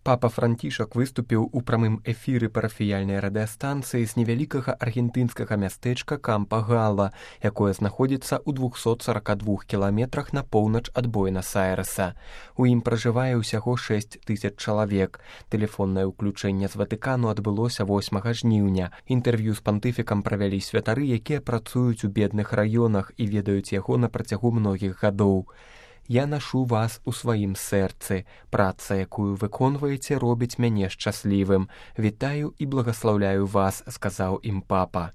Папа Францішак выступіў у прамым эфіры парафіяльнай радыёстанцыі з невялікага аргентынскага мястэчка Кампа-Гала, якое знаходзіцца ў 242 кіламетрах на поўнач ад Буэнас-Айрэса. У ім пражывае ўсяго 6 000 чалавек. Тэлефоннае ўключэнне з Ватыкану адбылося 8 жніўня. Інтэрв'ю з пантыфікам правялі святары, якія працуюць у бедных раёнах і ведаюць яго на працягу многіх гадоў. «Я нашу вас у сваім сэрцы. Праца, якую выконваеце, робіць мяне шчаслівым. Вітаю і благаслаўляю вас», – сказаў ім папа.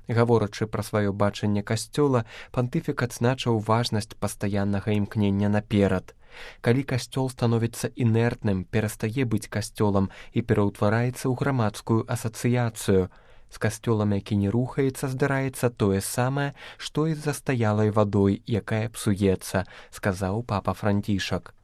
Гаворачы пра сваё бачанне касцёла, пантыфік адзначыў важнасць пастаяннага імкнення наперад. Калі касцёл становіцца інертным, перастае быць касцёлам і пераўтвараецца ў грамадскую асацыяцыю. З касцёлам, які не рухаецца, здараецца тое самае, што і з застаялай вадой, якая псуецца, сказаў папа Францішак.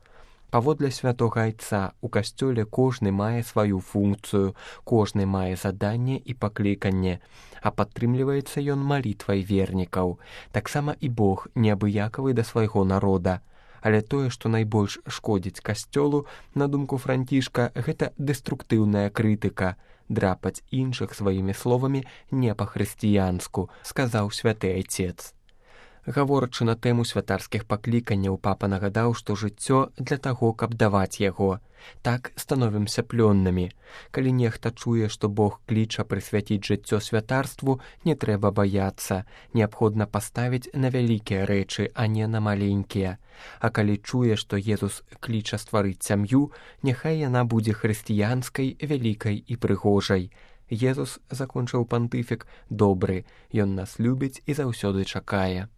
Паводле святога айца, у касцёле кожны мае сваю функцыю, кожны мае заданне і пакліканне, а падтрымліваецца ён малітвай вернікаў. Таксама і Бог неабыякавы да свайго народа. Але тое, што найбольш шкодзіць касцёлу, на думку Францішка, гэта дэструктыўная крытыка. Драпаць іншых сваімі словамі не па-хрысціянску, сказаў святы айцец. Гаворачы на тэму святарскіх пакліканняў, папа нагадаў, што жыццё для таго, каб даваць яго. Так становімся плённымі. Калі нехта чуе, што Бог кліча прысвяціць жыццё святарству, не трэба баяцца. Неабходна паставіць на вялікія рэчы, а не на маленькія. А калі чуе, што Езус кліча стварыць сям'ю, няхай яна будзе хрысціянскай, вялікай і прыгожай. Езус, закончыў пантыфік, добры, ён нас любіць і заўсёды чакае.